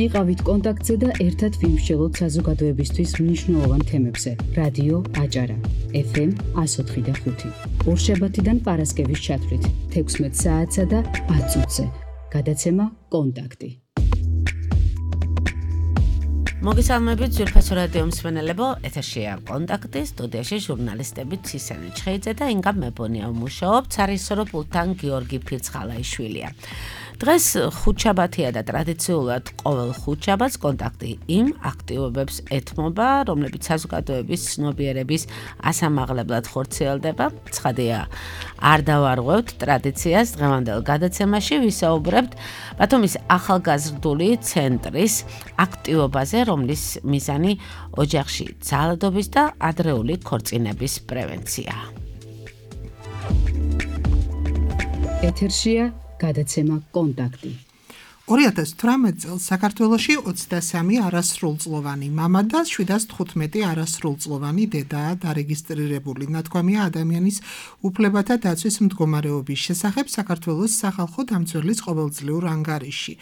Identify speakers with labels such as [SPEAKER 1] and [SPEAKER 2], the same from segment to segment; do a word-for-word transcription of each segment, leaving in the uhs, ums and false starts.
[SPEAKER 1] იყავით კონტაქტზე და ერთად ვიმსჯელოთ საზოგადოებისთვის მნიშვნელოვან თემებზე. რადიო აჭარა, ეფ ემ one oh four point five. ორშაბათიდან პარასკევის ჩათვლით, თექვსმეტ საათსა და ათ წუთზე. გადაცემა კონტაქტი.
[SPEAKER 2] მოგესალმებით ძვირფასო რადიო მსმენელებო, ეთერშია კონტაქტი, სტუდიაში ჟურნალისტები ცისენი ჩხეიძე და ინგა მებონია ვმუშაობთ, სარისორო პულტთან გიორგი ფირცხალაიშვილია. დღეს ხუთშაბათია და ტრადიციულად ყოველ ხუთშაბათს კონტაქტი იმ აქტივობებს ეთმობა, რომლებიც საზოგადოების ცნობიერების ასამაღლებლად ხორციელდება. ცხადია, არ დავარღვევთ ტრადიციას, დღევანდელ გადაცემაში ვისაუბრებთ ბათუმის ახალგაზრდული ცენტრის აქტივობაზე, რომლის მიზანი ოჯახში ძალადობის და ადრეული ქორწინების პრევენციაა.
[SPEAKER 1] ეთერშია გადაცემა კონტაქტი.
[SPEAKER 3] ორი ათას თვრამეტ წელს საქართველოში ოცდასამი არასრულწლოვანი მამა და შვიდას თხუთმეტი არასრულწლოვანი დედაა დარეგისტრირებული. ნათქვამია ადამიანის უფლებათა დაცვის მდგომარეობის შესახებ საქართველოს სახალხო დამცველის ყოველწლიურ ანგარიში.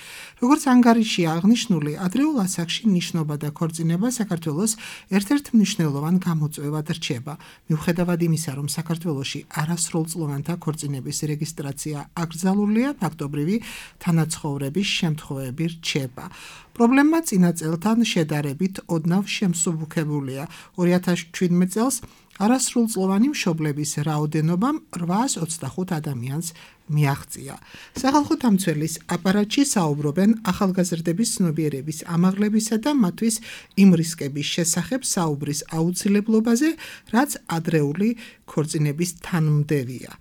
[SPEAKER 3] როგორც ანგარიშია აღნიშნული, ადრეულ ასაკში ნიშნობა და ქორწინება საქართველოს ერთ-ერთ მნიშვნელოვან გამოწვევად რჩება. მიუხედავად იმისა, რომ საქართველოში არასრულწლოვანთა ქორწინების რეგისტრაცია აკრძალულია, ფაქტობრივი თანაცხოვრების შემთხვევები რჩება. პრობლემა წინა წელთან შედარებით ოდნავ შემსუბუქებულია. ორი ათას შვიდმეტ წელს არასრულწლოვანი მშობლების რაოდენობამ რვაას ოცდახუთ ადამიანს მიაღწია. სახალხო დამცველის აპარატში საუბრობენ ახალგაზრდების ცნობიერების ამაღლებისა და მათთვის იმ რისკების შესახებ საუბრის აუცილებლობაზე, რაც ადრეული ქორწინების თანმდევია.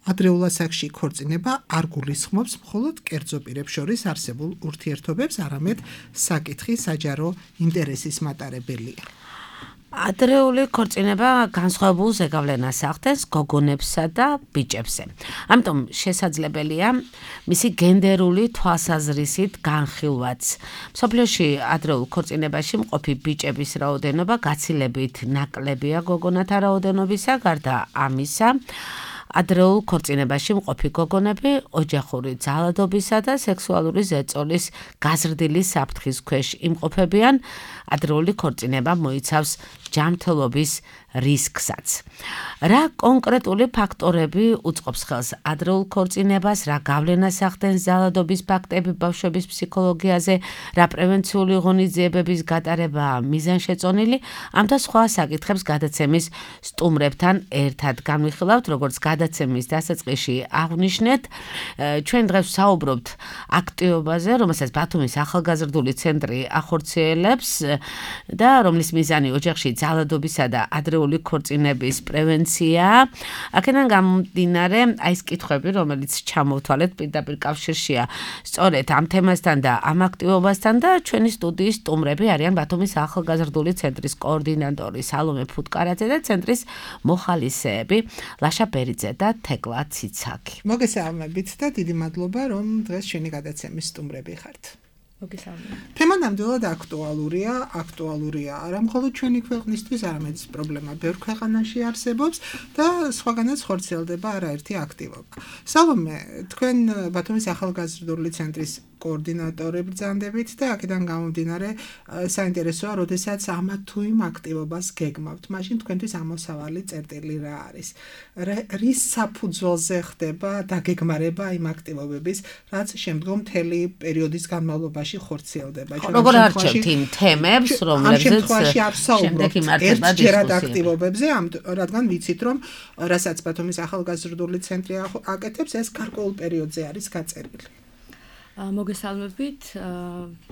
[SPEAKER 3] ადრეულ ასაკში ქორწინება არ გულისხმობს მხოლოდ კერძო პირებს შორის არსებულ ურთიერთობებს, არამედ საკითხი საჯარო ინტერესის მატარებელია.
[SPEAKER 2] ადრეული ქორწინება განსხვავებულ ზეგავლენას ახდენს გოგონებსა და ბიჭებზე. ამიტომ შესაძლებელია მისი გენდერული თვალსაზრისით განხილვაც. მსოფლიოში ადრეულ ქორწინებაში მყოფი ბიჭების რაოდენობა გაცილებით ნაკლებია გოგონათა რაოდენობისა, გარდა ამისა, ადრეულ ქორწინებაში მყოფი გოგონები ოჯახური ძალადობისა და სექსუალური ზეწოლის გაზრდილი საფრთხის ქვეშ იმყოფებიან. ადრეული ქორწინება მოიცავს ჯანმრთელობის რისკსაც. რა კონკრეტული ფაქტორები უწყობს ხელს ადრეულ ქორწინებას, რა გავლენას ახდენს ძალადობის ფაქტები ბავშვების ფსიქოლოგიაზე, რა პრევენციული ღონისძიებების გატარებაა მიზანშეწონილი, ამ და სხვა საკითხებს გადაცემის სტუმრებთან ერთად განვიხილავთ. როგორც გადაცემის დასაწყისში აღვნიშნეთ, ჩვენ დღეს ვსაუბრობთ აქტივობაზე, რომელსაც ბათუმის ახალგაზრდული ცენტრი ახორციელებს და რომლის მიზანი ოჯახში ძალადობისა და ადრეული ქორწინების პრევენციაა. აქედან გამომდინარე, აი ეს კითხვები, რომელიც ჩამოვთვალეთ, პირდაპირ კავშირშია სწორედ ამ თემასთან და ამ აქტივობასთან და ჩვენი სტუდიის სტუმრები არიან ბათუმის ახალგაზრდული ცენტრის კოორდინატორი სალომე ფუტკარაძე და ცენტრის მოხალისეები ლაშა ბერიძე და თეკლა ციცაკი.
[SPEAKER 3] მოგესალმებით და დიდი მადლობა, რომ დღეს ჩვენი გადაცემის სტუმრები ხართ.
[SPEAKER 4] მოგესალმებით.
[SPEAKER 3] თემა ნამდვილად აქტუალურია, აქტუალურია არა მხოლოდ ჩვენი ქვეყნისთვის, არამედ პრობლემა ბევრ ქვეყანაში არსებობს და სხვაგანაც ხორციელდება არაერთი აქტივობა. სალომე, თქვენ ბათუმის ახალგაზრდული ცენტრის კოორდინატორი ბრძანდებით და აქედან გამომდინარე საინტერესოა, როდესაც ამა თუ იმ აქტივობას გეგმავთ. მაშინ თქვენთვის ამოსავალი წერტილი რა არის? რის საფუძველზე ხდება დაგეგმარება იმ აქტივობების, რაც შემდგომ მთელი პერიოდის განმავლობაში ხორციელდება.
[SPEAKER 2] როგორ არჩევთ იმ თემებს, რომლებზეც შემდეგ იმართება
[SPEAKER 3] ერთჯერად აქტივობებზე, რადგან ვიცით, რომ რასაც ბათუმის ახალგაზრდული ცენტრი აკეთებს, ეს გარკვეულ პერიოდზე არის გაწერილი.
[SPEAKER 4] მოგესალმებით,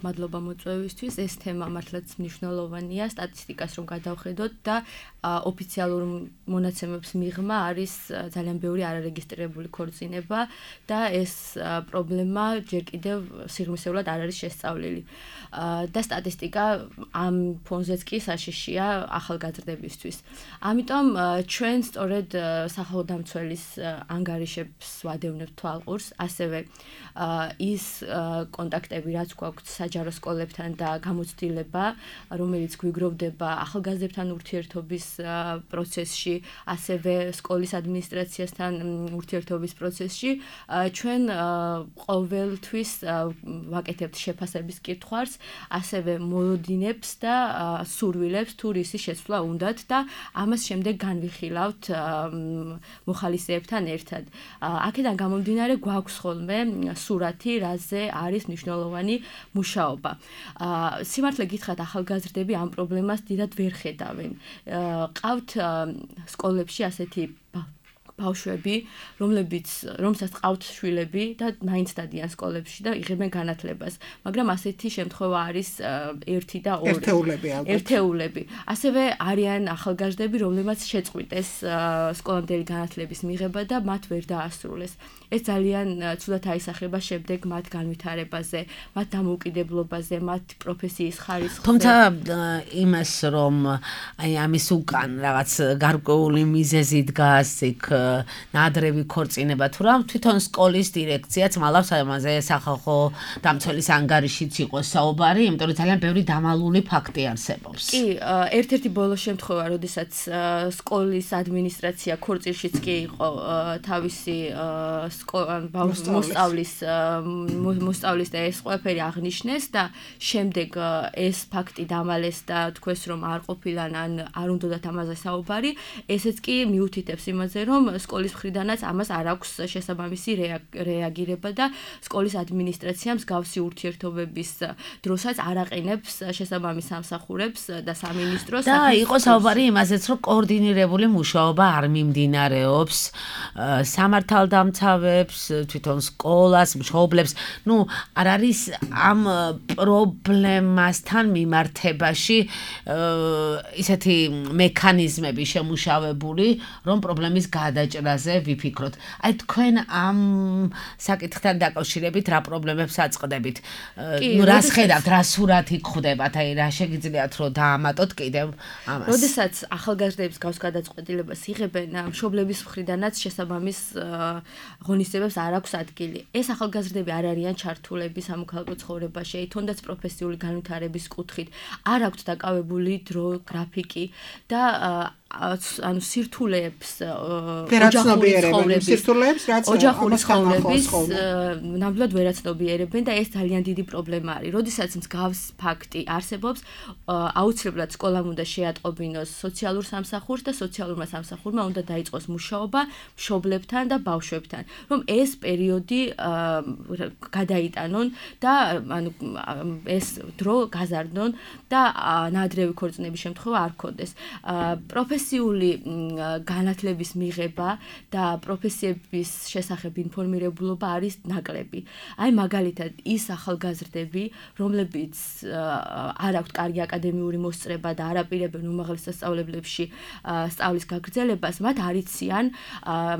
[SPEAKER 4] მადლობა მოწვევისთვის. ეს თემა მართლაც მნიშვნელოვანია, სტატისტიკას რომ გადავხედოთ და ოფიციალურ მონაცემებს მიღმა არის ძალიან ბევრი არარეგისტრირებული ქორწინება და ეს პრობლემა ჯერ კიდევ სიღრმისეულად არ არის შესწავლილი. და სტატისტიკა ამ ფონზეც კი საშიშია ახალგაზრდებისთვის. ამიტომ ჩვენ სწორედ სახალხო დამცველის ანგარიშებს ვადევნებთ თვალყურს, ასევე ის კონტაქტები რაც გვაქვს საჯარო სკოლებთან და გამოცდილება, რომელიც გვიგროვდება ახალგაზრდებთან ურთიერთობის პროცესში, ასევე სკოლის ადმინისტრაციასთან ურთიერთობის პროცესში, ჩვენ ყოველთვის ვაკეთებთ შეფასების კითხვას, ასევე მოლოდინებს და სურვილებს თუ რისი შეცვლა უნდათ და ამას შემდეგ განვიხილავთ მოხალისეებთან ერთად. აქედან გამომდინარე გვაქვს ხოლმე სურათი, რაზე არის მნიშვნელოვანი მუშაობა. სიმართლე გითხრათ, ახალგაზრდები ამ პრობლემას დიდად ვერ ხედავენ. ყავთ სკოლებში ასეთი ბავშვები, რომლებიც რომელსაც ყავთ შვილები და მაინც დადიან სკოლებში და იღებენ განათლებას. მაგრამ ასეთი შემთხვევა არის ერთი და ორი.
[SPEAKER 3] ერთეულები ალბათ.
[SPEAKER 4] ერთეულები. ასევე არიან ახალგაზრდები, რომლებმაც შეწყვიტეს სკოლამდელი განათლების მიღება და მათ ვერ დაასრულეს. ეს ძალიან ცუდად აისახება შემდეგ მათ განვითარებაზე, მათ დამოუკიდებლობაზე, მათ პროფესიის ხარისხზე.
[SPEAKER 2] თუმცა იმას რომ აი ამის უკან რაღაც გარკვეული მიზეზი დგას იქ ნადრევი ქორწინება თუ რა თვითონ სკოლის დირექციაც მალავს ამაზე სახალხო დამცველის ანგარიშიც იყოს საუბარი, იმიტომ რომ ძალიან ბევრი დამალული ფაქტი არსებობს.
[SPEAKER 4] კი, ერთ-ერთი ბოლო შემთხვევა, როდესაც სკოლის ადმინისტრაცია ქორწილშიც კი იყო თავისი მოსწავლის მოსწავლის და ეს ყველაფერი აღნიშნეს და შემდეგ ეს ფაქტი დამალეს და თქვეს რომ არ ყოფილან ან არ უნდათ ამაზე საუბარი, ესეც კი მიუთითებს იმაზე რომ სკოლის მხრიდანაც ამას არ აქვს შესაბამისი რეაგირება და სკოლის ადმინისტრაციამ მსგავსი ურთიერთობების დროსაც არ აყენებს შესაბამის სამსახურებს და სამინისტროს
[SPEAKER 2] და იყო საუბარი იმაზეც რომ კოორდინირებული მუშაობა არ მიმდინარეობს სამართალდამცავებს, თვითონ სკოლას, მშობლებს, ნუ არ არის ამ პრობლემასთან მიმართებაში ისეთი მექანიზმები შემუშავებული, რომ პრობლემის გადაჭრაზე ვიფიქროთ. აი თქვენ ამ საკითხთან დაკავშირებით რა პრობლემებს აწყდებით? ნუ რას ხედავთ, რა სურათი გხვდებათ, აი რა შეგიძლიათ რომ დაამატოთ კიდევ ამას?
[SPEAKER 4] როდესაც ახალგაზრდების გავს გადაწყვეტილებას იღებენ, მშობლების მხრიდანაც შესაბამის ღონისძიებებს არ აქვს ადგილი. ეს ახალგაზრდები არ არიან ჩართულები სამოქალაქო ცხოვრებაში, თუნდაც პროფესიული განვითარების კუთხით, არ აქვთ დაკავებული დრო, გრაფიკი და ანუ სირთულეებს ოჯახური ცხოვრების
[SPEAKER 3] სირთულეებს რაც
[SPEAKER 4] ოჯახური ცხოვრების ნამდვილად ვერაცნობიერებენ და ეს ძალიან დიდი პრობლემა არის. როდესაც მსგავს ფაქტი არსებობს, აუცილებლად სკოლამ უნდა შეატყობინოს სოციალურ სამსახურს და სოციალურმა სამსახურმა უნდა დაიწყოს მუშაობა მშობლებთან და ბავშვებთან, რომ ეს პერიოდი გადაიტანონ და ანუ ეს დრო გაზარდონ და ნადრევი ქორწინების შემთხვევა არ გქონდეს. პროფესიული განათლების მიღება და პროფესიების შესახებ ინფორმირებულობა არის ნაკლები. აი მაგალითად ის ახალგაზრდები, რომლებიც არ აქვთ კარგი აკადემიური მოსწრება და არ აპირებენ უმაღლეს სასწავლებლებში სწავლის გაგრძელებას, მათ არ იციან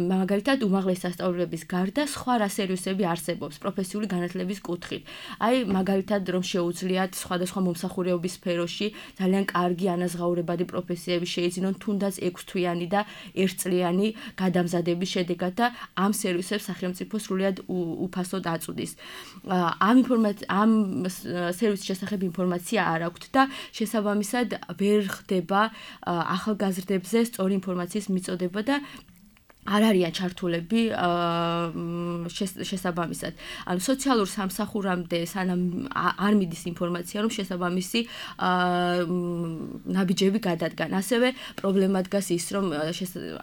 [SPEAKER 4] მაგალითად უმაღლეს სასწავლებლების გარდა სხვა რა სერვისები არსებობს პროფესიული განათლების კუთხით. აი მაგალითად რომ შეუძლიათ სხვადასხვა მომსახურეობის სფეროში ძალიან კარგი ანაზღაურებადი პროფესიები შეიძინონ თუნდაც ექვსთვიანი და ერთწლიანი გადამზადების შედეგად და ამ სერვისებს სახელმწიფო სრულად უფასოდ აწვდის. ამ ინფორმაცია ამ სერვისის შესახებ ინფორმაცია არ აქვთ და შესაბამისად ვერ ხდება ახალგაზრდებზე სწორი ინფორმაციის მიწოდება და არ არიან ჩართულები შესაბამისად. ანუ სოციალურ სამსახურამდე სანამ არ მიდის ინფორმაცია, რომ შესაბამისი ნაბიჯები გადადგან. ასევე პრობლემა დგას ის, რომ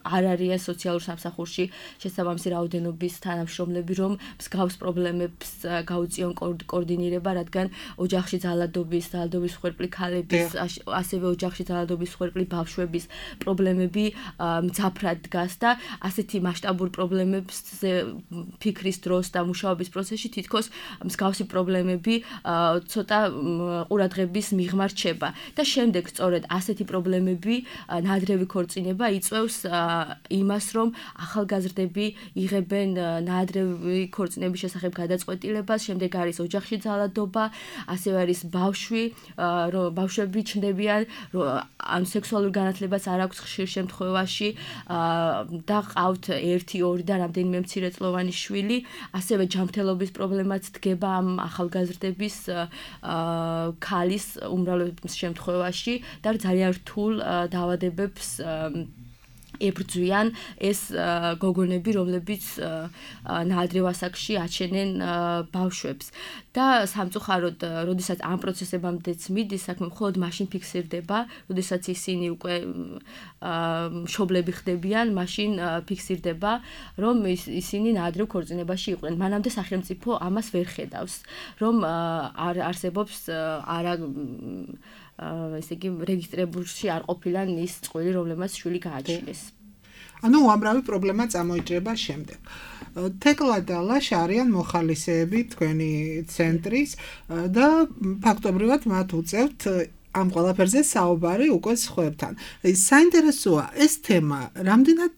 [SPEAKER 4] არ არიან სოციალურ სამსახურში შესაბამისი რაოდენობის თანამშრომლები, რომ მსგავს პრობლემებს გაუწიონ კოორდინირება, რადგან ოჯახში ძალადობის, ძალადობის მსხვერპლი ქალების, ასევე ოჯახში ძალადობის მსხვერპლი ბავშვების პრობლემები მძაფრად დგას და ასეთი მასშტაბური პრობლემებზე ფიქრის დროს და მუშაობის პროცესში თითქოს მსგავსი პრობლემები ცოტა ყურადღების მიღმა რჩება და შემდეგ სწორედ ასეთი პრობლემები ნადრევი ქორწინება იწვევს იმას, რომ ახალგაზრდები იღებენ ნადრევი ქორწინების შესახებ გადაწყვეტილებას, შემდეგ არის ოჯახში ძალადობა, ასევე არის ბავშვი, ბავშვები ჩნდებიან, ან სექსუალურ განათლებას არ აქვს ხშირ შემთხვევაში და ჰყავთ ერთი, ორი და რამდენიმე მცირეწლოვანი შვილი, ასევე ჯანმრთელობის პრობლემაც დგება ამ ახალგაზრდების ქალის უმრავლეს შემთხვევაში და ძალიან რთულ დაავადებებს ებრძვიან ეს გოგონები, რომლებიც ნაადრევ ასაკში აჩენენ ბავშვებს. და სამწუხაროდ, როდესაც ამ პროცესებამდეც მიდის, საქმე მხოლოდ მაშინ ფიქსირდება, როდესაც ისინი უკვე მშობლები ხდებიან, მაშინ ფიქსირდება, რომ ისინი ნაადრევ ქორწინებაში იყვნენ. მანამდე სახელმწიფო ამას ვერ ხედავს, რომ არ არსებობს არა ესე იგი რეგისტრებულში არ ყოფილან ის წყვილი, რომლემაც შვილი გააჩინეს.
[SPEAKER 3] ანუ უამრავი პრობლემა წამოიჭრება შემდეგ. თეკლა და ლაშა არიან მოხალისეები თქვენი ცენტრის და ფაქტობრივად მათ უწევთ ამ ყველაფერზე საუბარი უკვე სხვებთან. საინტერესოა ეს თემა, რამდენად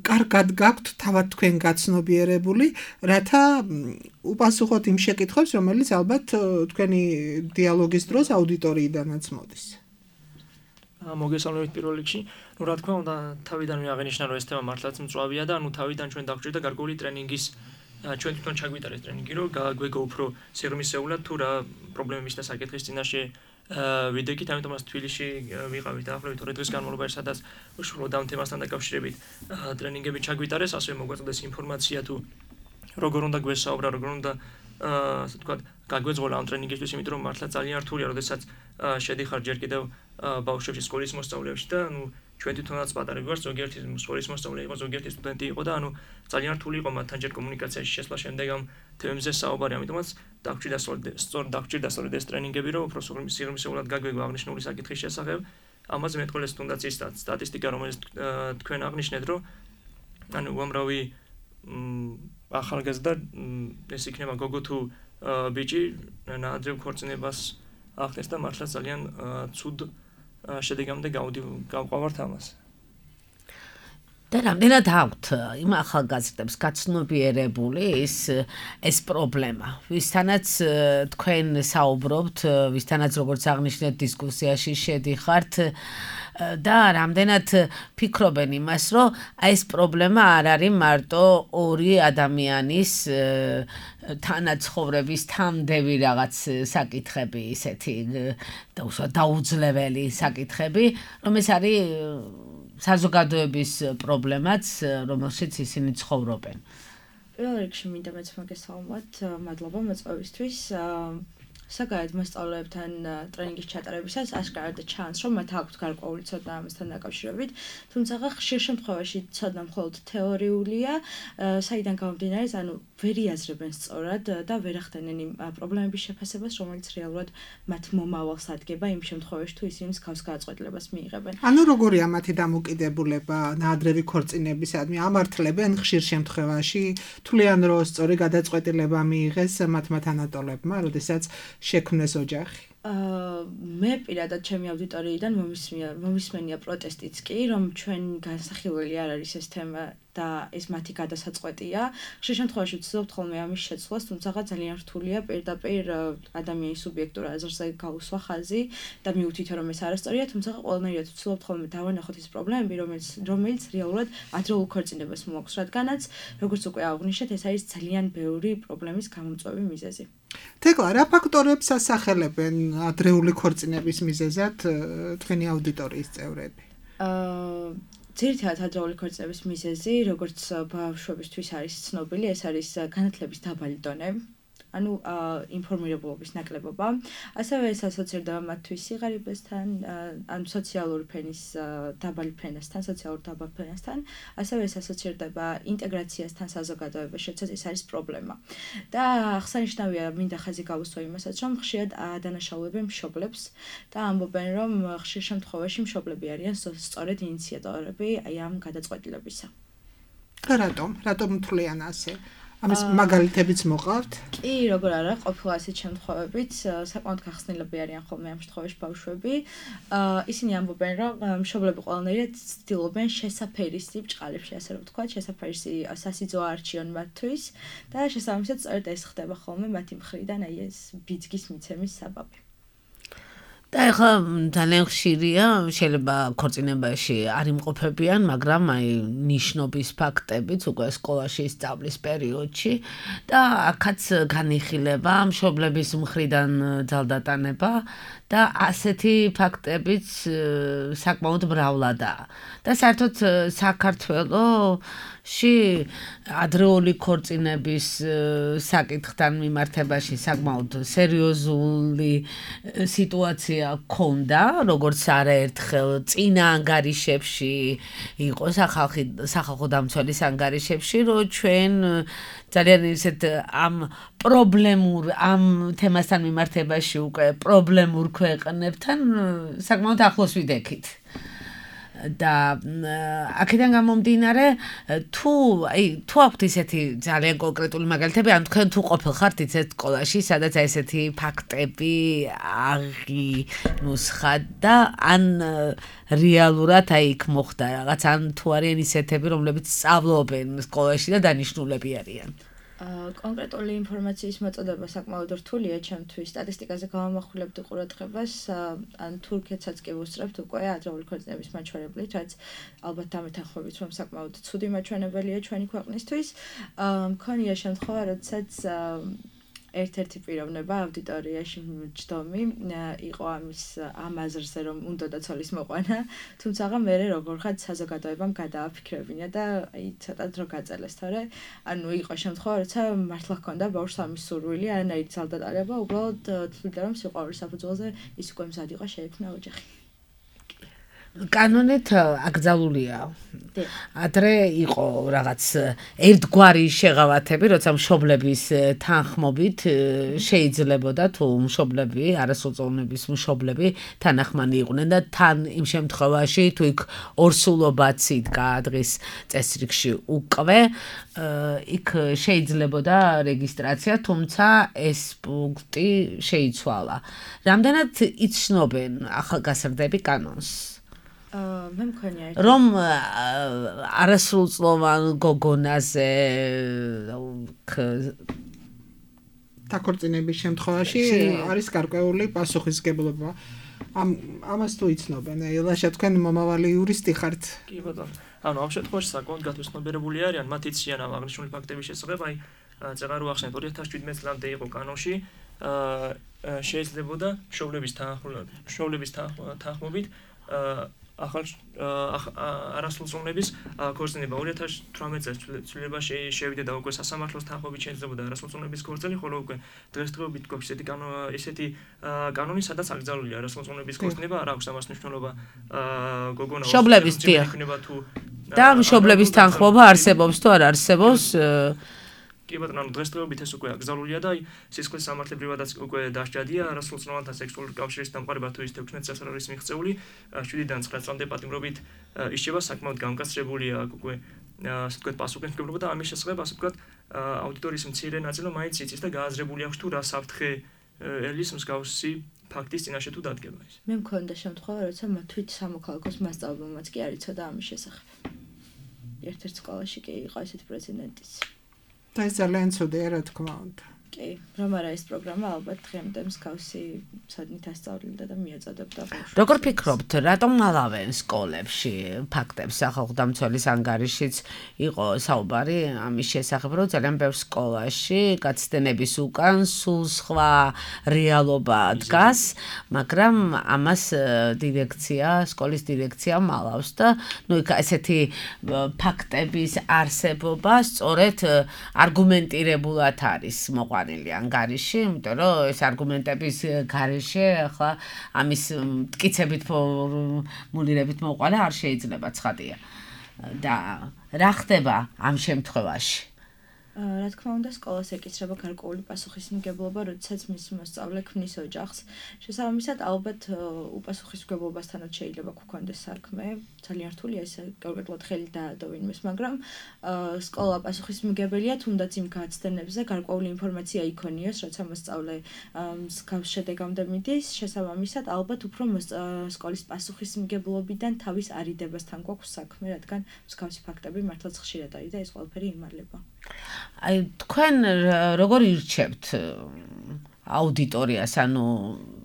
[SPEAKER 3] კარგად გაქვთ თავად თქვენ გაცნობიერებული, რათა უპასუხოთ იმ შეკითხვებს, რომელიც ალბათ თქვენი დიალოგის დროს აუდიტორიიდანაც მოდის.
[SPEAKER 5] მოგესალმებით პირველ რიგში. ნუ რა თქმა უნდა, თავიდანვე აღინიშნა, რომ ეს თემა მართლაც მწვავეა და ნუ თავიდან ჩვენ დაგვჭირდა გარკვეული ტრენინგის ჩვენ თვითონ ჩაგვიტარეს ტრენინგი, რომ გაგვეგო უფრო სერმისეულად თუ რა პრობლემების და საკითხის წინაშე ვიდექით, ამიტომ მას თბილისში ვიყავით დაახლოებით ორი დღის განმავლობაში, სადაც უშუალოდ ამ თემასთან დაკავშირებით ტრენინგები ჩაგვიტარეს, ასევე მოგვაწოდეს ინფორმაცია თუ როგორ უნდა გვესაუბრა, როგორ უნდა ასე ვთქვათ, გაგვეძღოლა ამ ტრენინგისთვის, იმიტომ რომ მართლა ძალიან რთულია, როდესაც შედიხარ ჯერ კიდევ ბავშვებში სკოლის მოსწავლეებში და ნუ ჩვენ თვითონაც პატარა გვარს, ზოგიერთი სკოლის მოსწავლე იყო, ზოგიერთი სტუდენტი იყო და ანუ ძალიან რთული იყო მათთან ჯერ კომუნიკაციაში შესვლა შემდეგ ამ თემებზე საუბარი, ამიტომაც დაგვჭირდა სწორ დაგვჭირდა სწორედ ეს ტრენინგები, რომ უფრო სიღრმისეულად გაგვეგო აღნიშნული საკითხის შესახებ. ამაზე მეტყველეს თუნდაც ის სტატისტიკა, რომელიც თქვენ აღნიშნეთ, რომ ანუ უამრავი ახალგაზრდა ეს იქნება გოგო თუ ბიჭი ნაადრევ ქორწინებას ახდენს და მართლა ძალიან ცუდ შედეგამდე გავყვავართ ამას.
[SPEAKER 2] და რამდენად აქვთ იმ ახალგაზრდებს გაცნობიერებული ის ეს პრობლემა, ვისთანაც თქვენ საუბრობთ, ვისთანაც როგორც აღნიშნეთ დისკუსიაში შედიხართ და რამდენად ფიქრობენ იმას, რომ აი ეს პრობლემა არ არის მარტო ორი ადამიანის თანაცხოვრების თამდევი რაღაც საკითხები, ისეთი დაუძლეველი საკითხები, რომ ეს არის საზოგადოების პრობლემაც, რომელშიც ისინი ცხოვრობენ.
[SPEAKER 4] პირველ რიგში მინდა მეც მოგესალმოთ, მადლობა მოწვევისთვის. საგაიოდ მოსწავლეებთან ტრენინგის ჩატარებისას აშკარად ჩანს, რომ მათ აქვთ გარკვეული ცოდნა ამასთან დაკავშირებით, თუმცა ხშირ შემთხვევაში ცოდნა მხოლოდ თეორიულია, საიდან გამომდინარე, ანუ ვერ იაზრებენ სწორად და ვერ ახდენენ იმ პრობლემების შეფასებას, რომელიც რეალურად მათ მომავალს ადგება იმ შემთხვევაში, თუ ისინი მსგავს გადაწყვეტილებას მიიღებენ.
[SPEAKER 3] ანუ როგორია მათი დამოკიდებულება ნაადრევი ქორწინებისადმი? ამართლებენ ხშირ შემთხვევაში, თვლიან, რომ სწორი გადაწყვეტილება მიიღეს მათმა თანატოლებმა, როდესაც შექმნეს ოჯახი.
[SPEAKER 4] მე პირადად ჩემი აუდიტორიიდან მომისმენია პროტესტიც კი, რომ ჩვენ განსახილველი არ არის ეს თემა და ეს მათი გადასაწყვეტია. ხშირ შემთხვევაში ვცდილობთ ხოლმე ამის შეცვლას, თუმცა ძალიან რთულია პირდაპირ ადამიანის სუბიექტურ აზრზე გაუსვა ხაზი და მივუთითო, რომ ეს არასწორია, თუმცა ყველანაირად ვცდილობთ ხოლმე დავანახოთ ის პრობლემები, რომელიც რომელიც რეალურად ადრეულ ქორწინებას მოაქვს, რადგანაც როგორც უკვე აღვნიშნეთ, ეს არის ძალიან ბევრი პრობლემის გამომწვევი მიზეზი.
[SPEAKER 3] თეკლა, რა ფაქტორებს ასახელებენ ადრეული ქორწინების მიზეზად თქვენი აუდიტორიის წევრები?
[SPEAKER 4] აა ძირითადად ადრეული ქორწინების მიზეზი, როგორც ბავშვებისთვის არის ცნობილი, ეს არის განათლების დაბალი დონე. ანუ ინფორმირებულობის ნაკლებობა, ასევე ეს ასოცირდება მათთვის სიღარიბესთან, ან სოციალური ფენის დაბალი ფენასთან, სოციალურ დაბალ ფენასთან, ასევე ეს ასოცირდება ინტეგრაციასთან საზოგადოებაში, როდესაც ეს არის პრობლემა. და აღსანიშნავია, მინდა ხაზი გავუსვა იმასაც, რომ ხშირად ადანაშაულებენ მშობლებს და ამბობენ, რომ ხშირ შემთხვევაში მშობლები არიან სწორედ ინიციატორები აი ამ გადაწყვეტილებისა.
[SPEAKER 3] რატომ? რატომ თვლიან ასე? ამის მაგალითებიც მოყავთ?
[SPEAKER 4] კი, როგორ არა, ყოფილა ასეთ შემთხვევებით, საკმაოდ გახსნილები არიან ხოლმე ამ შემთხვევაში ბავშვები. ისინი ამბობენ, რომ მშობლები ყველანაირად ცდილობენ შესაფერისი ბჭყალებში, ასე რომ ვთქვათ, შესაფერისი სასიძო არჩიონ მათთვის და შესაბამისად სწორედ ეს ხდება ხოლმე მათი მხრიდან, აი ეს ბიძგის მიცემის საბაბი.
[SPEAKER 2] და ეხლა ძალიან ხშირია, შეიძლება ქორწინებაში არ იმყოფებიან, მაგრამ აი ნიშნობის ფაქტებიც უკვე სკოლაში სწავლის პერიოდში და აქაც განიხილება მშობლების მხრიდან ძალდატანება და ასეთი ფაქტებიც საკმაოდ მრავლადაა. და საერთოდ საქართველოში ადრეული ქორწინების საკითხთან მიმართებაში საკმაოდ სერიოზული სიტუაცია ქონდა, როგორც არაერთხელ წინა ანგარიშებში იყო სახალხი სახალხო დამცველის ანგარიშებში, რომ ჩვენ ძალიან ისეთ ამ პრობლემურ ამ თემასთან მიმართებაში უკვე პრობლემურ ქვეყნებთან საკმაოდ ახლოს ვიდექით. და აქედან გამომდინარე თუ აი თუ აქვთ ისეთი ძალიან კონკრეტული მაგალითები ან თქვენ თუ ყოფილხართ ისეთ სკოლაში სადაც აი ესეთი ფაქტები აღინუსხათ და ან რეალურად აი იქ მოხდა რაღაც ან თუ არიან ისეთები რომლებიც სწავლობენ სკოლაში და დანიშნულები არიან
[SPEAKER 4] კონკრეტული ინფორმაციის მოწოდება საკმაოდ რთულია ჩემთვის. სტატისტიკაზე გავამახვილებდი ყურადღებას, ან თურქეთსაც კი ვუსწრებთ უკვე ადრეული ქორწინების მაჩვენებლით, რაც ალბათ დამეთანხმებით, რომ საკმაოდ ცუდი მაჩვენებელია ჩვენი ქვეყნისთვის. მქონია შემთხვევა, როდესაც ერთ-ერთი პიროვნება აუდიტორიაში ჯდომი იყო ამის ამ აზრზე, რომ უნდოდა ცოლის მოყვანა, თუმცა მე როგორ ხარ საზოგადოებამ გადააფიქრებინა და აი ცოტა დრო გაწელეს, თორე ანუ იყო შემთხვევა, როცა მართლა ჰქონდა ბავშვს ამის სურვილი, არანაირი ძალდატარება, უბრალოდ თვლიდა რომ სიყვარულის საფუძველზე ის უკვე მზად იყო შეექმნა ოჯახი.
[SPEAKER 2] კანონით აკრძალულია. ადრე იყო რაღაც ერთგვარი შეღავათები, როცა მშობლების თანხმობით შეიძლებოდა თუ მშობლები, არასრულწლოვნების მშობლები თანახმანი იყვნენ და თან იმ შემთხვევაში თუ იქ ორსულობაც იდგა დღის წესრიგში უკვე, იქ შეიძლებოდა რეგისტრაცია, თუმცა ეს პუნქტი შეიცვალა. რამდენად იცნობენ ახალგაზრდები კანონს?
[SPEAKER 4] მე მქონია
[SPEAKER 2] რომ არასრულწლოვან გოგონაზე
[SPEAKER 3] დაქორწინების შემთხვევაში არის გარკვეული პასუხისმგებლობა. ამ ამას თუ იცნობენ, ელაშა თქვენ მომავალი იურისტი ხართ.
[SPEAKER 5] კი ბატონო. ანუ ამ შემთხვევაში საკმაოდ გათვისნობიერებული არიან, მათ იციან ამ აღნიშნული ფაქტების შესახებ, აი წეგარო ახსენეთ ორი ათას შვიდმეტ წლამდე იყო კანონში, შეიძლებოდა მშობლების მშობლების თანხმობით ახალ არასრულწლოვნების ქორწინება ორი ათას თვრამეტ წელს ცვლილებაში შევიდა და უკვე სასამართლოს თანხმობით შეიძლებოდა არასრულწლოვნების ქორწილი, ხოლო უკვე დღესდღეობით გვაქვს ესეთი ესეთი კანონი, სადაც აკრძალულია არასრულწლოვნების ქორწინება, არ აქვს ამას მნიშვნელობა გოგონა
[SPEAKER 2] მშობლების
[SPEAKER 5] იქნება თუ
[SPEAKER 2] და მშობლების თანხმობა არსებობს თუ არ არსებობს
[SPEAKER 5] კი ბატონო, ანუ დღესდღეობით ეს უკვე აკრძალულია და სისხლის სამართლებრივადაც უკვე დასჯადია არასრულწლოვანთა სექსუალური კავშირის დამყარება თუ ის თექვსმეტ წელს არ არის მიღწეული, შვიდიდან ცხრა წლამდე პატიმრობით ისჩება საკმაოდ გამკაცრებულია აქ უკვე ასე ვთქვათ პასუხისმგებლობა და ამის შესახებ ასე ვთქვათ აუდიტორიის მცირე ნაწილი მაინც იცის და გააზრებული აქვს თუ რა საფრთხე ელის მსგავსი ფაქტის წინაშე თუ დადგება ის.
[SPEAKER 4] მე მქონდა შემთხვევა, როცა თვით სამოქალაქოს მასწავლებელმაც კი არ იცოდა ამის შესახებ. ერთ-ერთ სკოლაში კი იყო ესეთი პრეცედენტიც.
[SPEAKER 3] და ეს ძალიან ცუდია, რა თქმა უნდა.
[SPEAKER 4] კი, რომ არა ეს პროგრამა ალბათ დღემდე მსგავსი ცოდნით ასწავლიდა და მიაწოდებდა ბავშვებს.
[SPEAKER 2] როგორ ფიქრობთ, რატომ ალავენ სკოლებში ფაქტებს სახალხო დამცველის ანგარიშიც იყო საუბარი ამის შესახებ, რომ ძალიან ბევრ სკოლაში გაცდენების უკან სულ სხვა რეალობა დგას, მაგრამ ამას დირექცია, სკოლის დირექცია მალავს და ნუ იქ ესეთი ფაქტების არსებობა სწორედ არგუმენტირებულად არის მოყვანილი ანგარიში, იმიტომ რომ ეს არგუმენტების გარეშე ახლა ამის მტკიცებით ფორმულირებით მოყვანა არ შეიძლება, ცხადია. და რა ხდება ამ შემთხვევაში?
[SPEAKER 4] რა თქმა უნდა, სკოლას ეკისრება გარკვეული პასუხისმგებლობა, როდესაც მისი მოსწავლე ქმნის ოჯახს. შესაბამისად, ალბათ უპასუხისმგებლობასთანაც შეიძლება გქონდეს საქმე. ძალიან რთულია ეს კონკრეტულად ხელი დაადო ვინმეს, მაგრამ სკოლა პასუხისმგებელია, თუნდაც იმ გაცდენებზე გარკვეული ინფორმაცია იქონიოს, როცა მოსწავლე მსგავს შედეგამდე მიდის. შესაბამისად, ალბათ უფრო სკოლის პასუხისმგებლობიდან თავის არიდებასთან გვაქვს საქმე, რადგან მსგავსი ფაქტები მართლაც ხშირად არის და ეს ყველაფერი იმალება.
[SPEAKER 2] აი თქვენ როგორ ირჩევთ აუდიტორიას, ანუ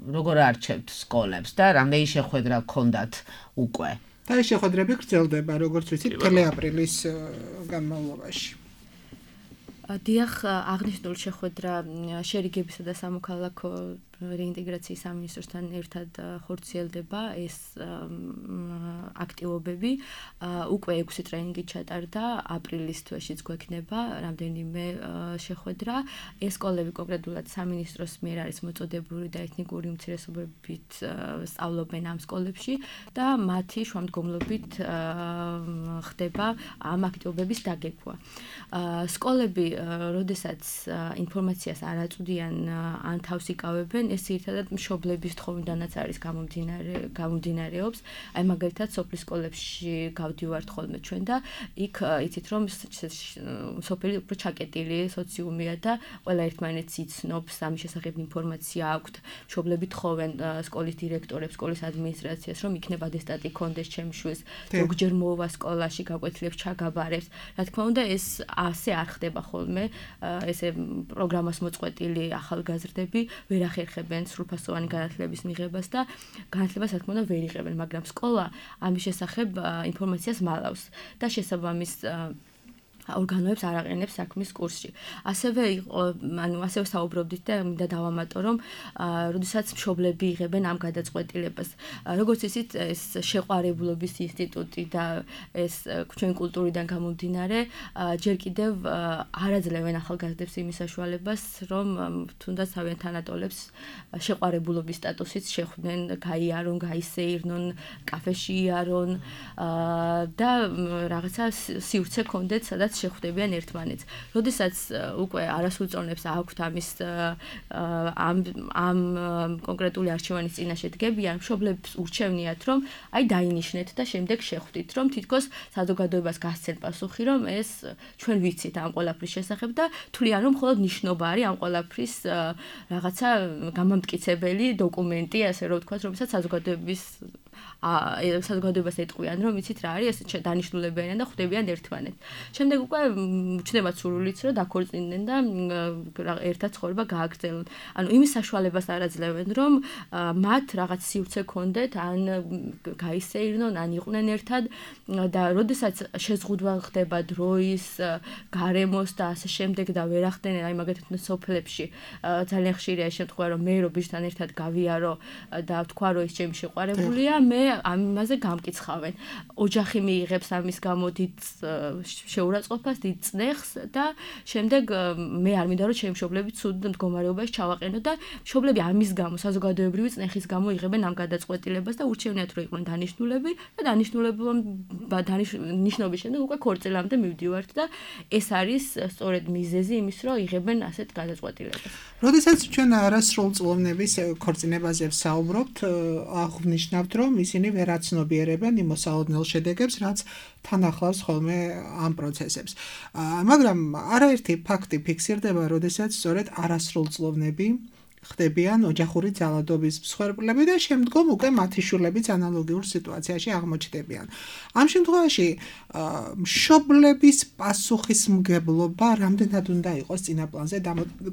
[SPEAKER 2] როგორ არჩევთ სკოლებს და რამდენი შეხვედრა გქონდათ უკვე?
[SPEAKER 3] და ეს შეხვედრები გრძელდება, როგორც ვიცით, მთელი აპრილის განმავლობაში.
[SPEAKER 4] დიახ, აღნიშნული შეხვედრა შერიგებისა და სამოქალაქო რეინტეგრაციის სამინისტროსთან ერთად ხორციელდება ეს აქტივობები. უკვე ექვსი ტრენინგი ჩატარდა, აპრილის თვეშიც გვექნება რამდენიმე შეხვედრა. ეს სკოლები კონკრეტულად სამინისტროს მიერ არის მოწოდებული და ეთნიკური უმცირესობებით სწავლობენ ამ სკოლებში და მათი შუამდგომლობით ხდება ამ აქტივობების დაგეგმვა. სკოლები, როდესაც ინფორმაციას არ აწვდიან ან თავს იკავებენ, ეს ერთადად მშობლების თხოვნიდანაც არის გამომდინარე გამომდინარეობს. აი მაგალითად სოფლის სკოლებში გავდივართ ხოლმე ჩვენ და იქ იცით რომ სოფელი უფრო ჩაკეტილი სოციუმია და ყველა ერთმანეთს იცნობს, ამის შესახებ ინფორმაცია აქვთ. მშობლები თხოვენ სკოლის დირექტორებს, სკოლის ადმინისტრაციას, რომ იქნება ატესტატი კონდეს ჩემს შვილს, ზოგჯერ მოვა სკოლაში, გაკვეთილებს ჩაგაბარებს. რა თქმა უნდა, ეს ასე არ ხდება ხოლმე, ესე პროგრამას მოწყვეტილი ახალგაზრდები ვერ ახერხებენ სრულფასოვანი განათლების მიღებას და განათლებას რა თქმა უნდა ვერ იღებენ, მაგრამ სკოლა ამის შესახებ ინფორმაციას მალავს და შესაბამის ორგანოებს არ აყენებს საქმის კურსში. ასევე იყო, ანუ ასევე საუბრობდით და მინდა დავამატო, რომ როდესაც მშობლები იღებენ ამ გადაწყვეტილებას. როგორც იცით, ეს შეყვარებულობის ინსტიტუტი და ეს ჩვენ კულტურიდან გამომდინარე, ჯერ კიდევ არ აძლევენ ახალგაზრდებს იმის საშუალებას, რომ თუნდაც თავიანთ თანატოლებს შეყვარებულობის სტატუსით შეხვდნენ, გაიარონ, გაისეირნონ, კაფეში იარონ და რაღაცა სივრცე კონდეთ, სადაც შეხვდებიან ერთმანეთს. როდესაც უკვე არასრულწლოვნებს აქვთ ამის ამ ამ კონკრეტული არჩევანის წინაშე დგებიან, მშობლებს ურჩევნიათ, რომ აი დაინიშნეთ და შემდეგ შეხვდით, რომ თითქოს საზოგადოებას გასცენ პასუხი, რომ ეს ჩვენ ვიცით ამ ყველაფრის შესახებ და თვლიან, რომ მხოლოდ ნიშნობა არის ამ ყველაფრის რაღაცა გამამტკიცებელი დოკუმენტი, ასე რომ ვთქვათ, რომელსაც საზოგადოების საზოგადოებას ეტყვიან, რომ იცით რა არის, ეს დანიშნულებიან და ხვდებიან ერთმანეთს. შემდეგ უკვე ჩნდებათ სურვილიც, რომ დაქორწინდნენ და ერთად ცხოვრება გააგრძელონ. ანუ იმის საშუალებას არ აძლევენ, რომ მათ რაღაც სივრცე კონდეთ, ან გაისეირნონ, ან იყვნენ ერთად და როდესაც შეზღუდვა ხდება დროის, გარემოს და ასე შემდეგ და ვერ ახდენენ, აი მაგალითად სოფლებში ძალიან ხშირია ეს შემთხვევა, რომ მე რო ბიჭთან ერთად გავიარო და ვთქვა, რომ ის ჩემი შეყვარებულია, მე ამაზე გამკიცხავენ. ოჯახი მიიღებს ამის გამო დიდ შეურაცხყოფას, დიდ წნეხს და შემდეგ მე არ მინდა რომ ჩემი მშობლები ცუდ მდგომარეობაში ჩავაყენო და მშობლები ამის გამო, საზოგადოებრივი წნეხის გამო იღებენ ამ გადაწყვეტილებას და ურჩევნიათ რომ იყვნენ დანიშნულები და დანიშნულების შემდეგ უკვე ქორწილამდე მივდივართ და ეს არის სწორედ მიზეზი იმის რომ იღებენ ასეთ გადაწყვეტილებას.
[SPEAKER 3] როდესაც ჩვენ არასრულწლოვნების ქორწინებაზე ვსაუბრობთ, აღვნიშნავთ რომ ისინი ვერ აცნობიერებენ იმ მოსალოდნელ შედეგებს, რაც თან ახლავს ხოლმე ამ პროცესებს. მაგრამ არაერთი ფაქტი ფიქსირდება, როდესაც სწორედ არასრულწლოვნები ხდებიან ოჯახური ძალადობის მსხვერპლები და შემდგომ უკვე მათი შვილებიც ანალოგიურ სიტუაციაში აღმოჩნდებიან. ამ შემთხვევაში მშობლების პასუხისმგებლობა რამდენად უნდა იყოს წინაპლანზე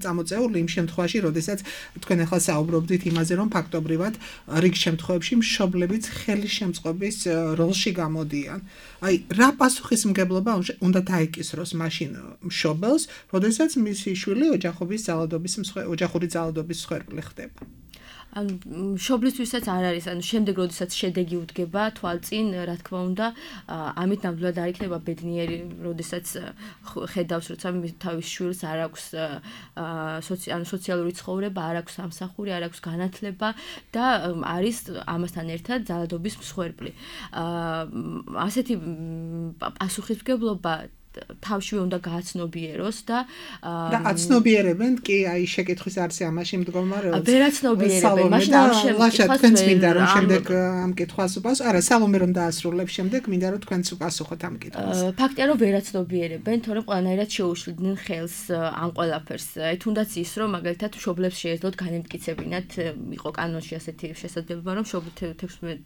[SPEAKER 3] წამოწეული იმ შემთხვევაში, როდესაც თქვენ ახლა საუბრობდით იმაზე, რომ ფაქტობრივად რიგ შემთხვევებში მშობლებიც ხელის შემწყობის როლში გამოდიან. აი, რა პასუხისმგებლობა უნდა დაეკისროს მაშინ მშობელს, როდესაც მისი შვილი ოჯახობის ძალადობის ოჯახური ძალადობის მსხვერპლი ხდება.
[SPEAKER 4] ანუ მშობლისთვისაც არ არის, ანუ შემდეგ როდესაც შედეგი უდგება თვალწინ, რა თქმა უნდა, ამით ნამდვილად არ იქნება ბედნიერი, როდესაც ხედავს, როცა თავის შვილს არ აქვს ანუ სოციალური ცხოვრება, არ აქვს სამსახური, არ აქვს განათლება და არის ამასთან ერთად ძალადობის მსხვერპლი. ასეთი პასუხისმგებლობა თავშივე უნდა გააცნობიეროს და
[SPEAKER 3] და აცნობიერებენ კი აი შეკითხვის არცე ამაში მდგომარეობს.
[SPEAKER 4] ვერ აცნობიერებენ, მაშინ ამ
[SPEAKER 3] შემთხვევაში თქვენც მინდა რომ შემდეგ ამ კითხვას უპასუხოთ. არა, სალომე რომ დაასრულებს შემდეგ მინდა რომ თქვენც უპასუხოთ ამ კითხვას.
[SPEAKER 4] ფაქტია რომ ვერ აცნობიერებენ, თორემ ყველანაირად შეუშლიდნენ ხელს ამ ყველაფერს. აი თუნდაც ის რომ მაგალითად მშობლებს შეეძლოთ განემტკიცებინათ, იყო კანონში ასეთი შესაძლებლობა რომ თექვსმეტ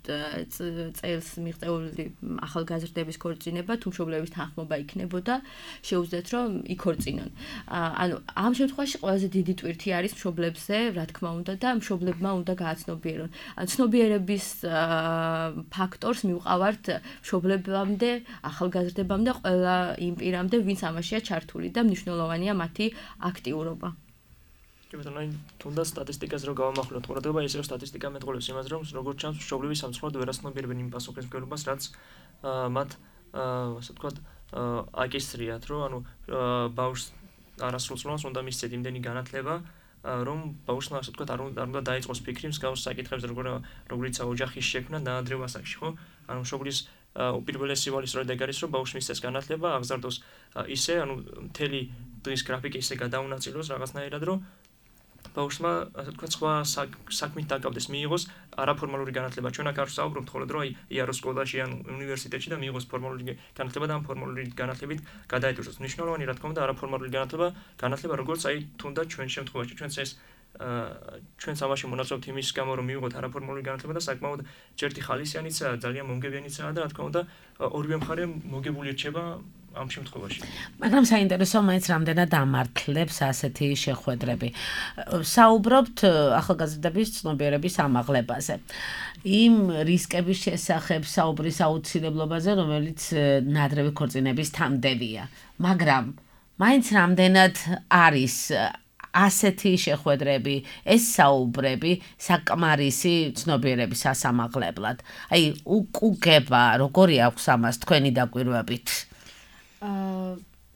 [SPEAKER 4] წელს მიღწეული ახალგაზრდების ქორწინება თუ მშობლების თანხმობა იქნება ემართებოდა, შეუძლიათ რომ იქორწინონ. ანუ ამ შემთხვევაში ყველაზე დიდი ტვირთი არის მშობლებზე, რა თქმა უნდა და მშობლებმა უნდა გააცნობიერონ. ან ცნობიერების ფაქტორს მივყავართ მშობლებამდე, ახალგაზრდებამდე, ყველა იმ პირამდე, ვინც ამაშია ჩართული და მნიშვნელოვანია მათი აქტიურობა.
[SPEAKER 5] კი ბატონო, აი თუნდაც სტატისტიკას რო გავამახვილოთ ყურადღება, ისევ სტატისტიკა მეტყოლებს იმას, რომ როგორც ჩანს, მშობლები სამწუხაროდ ვერ ასნობიერებენ იმ პასუხისმგებლობას, რაც მათ ასე ვთქვათ, აკისრიათ, რომ ანუ ბავშვს არასრულწლოვანს უნდა მისცეთ იმდენი განათლება, რომ ბავშვმა ასე ვთქვათ, არ უნდა დაიწყოს ფიქრი მსგავს საკითხებზე, როგორიცაა ოჯახის შექმნა დაადრევ ასაკში, ხო? ანუ მშობლის უპირველესი ვალისწორად ეგ არის, რომ ბავშვს მისცეს განათლება, აღზარდოს ისე, ანუ მთელი დღის გრაფიკი ისე გადაუნაწილოს რაღაცნაირად, რომ ბავშვმა ასე ვთქვათ, სხვა საქმით დაკავდეს, მიიღოს არაფორმალური განათლება. ჩვენ აქ არ ვსაუბრობთ მხოლოდ რომ აი იაროს სკოლაში ან უნივერსიტეტში და მიიღოს ფორმალური განათლება და ამ ფორმალური განათლებით გადაეტვირთოს. მნიშვნელოვანი რა თქმა უნდა არაფორმალური განათლება, განათლება როგორც აი თუნდაც ჩვენ შემთხვევაში ჩვენც ეს ჩვენც ამაში მონაწილეობთ იმის გამო რომ მიიღოთ არაფორმალური განათლება და საკმაოდ ჯერთი ხალისიანიცაა, ძალიან მომგებიანიცაა და რა თქმა უნდა ორივე მხარე მოგებული რჩება ამ შემთხვევაში.
[SPEAKER 2] მაგრამ საინტერესო მაინც რამდენად ამართლებს ასეთი შეხვედრები. საუბრობთ ახალგაზრდების ცნობიერების ამაღლებაზე. იმ რისკების შესახებ საუბრის აუცილებლობაზე, რომელიც ნადრევი ქორწინების თანმდევია. მაგრამ მაინც რამდენად არის ასეთი შეხვედრები, ეს საუბრები საკმარისი ცნობიერების ასამაღლებლად. აი, უკუგება, როგორი აქვს ამას თქვენი დაკვირვებით?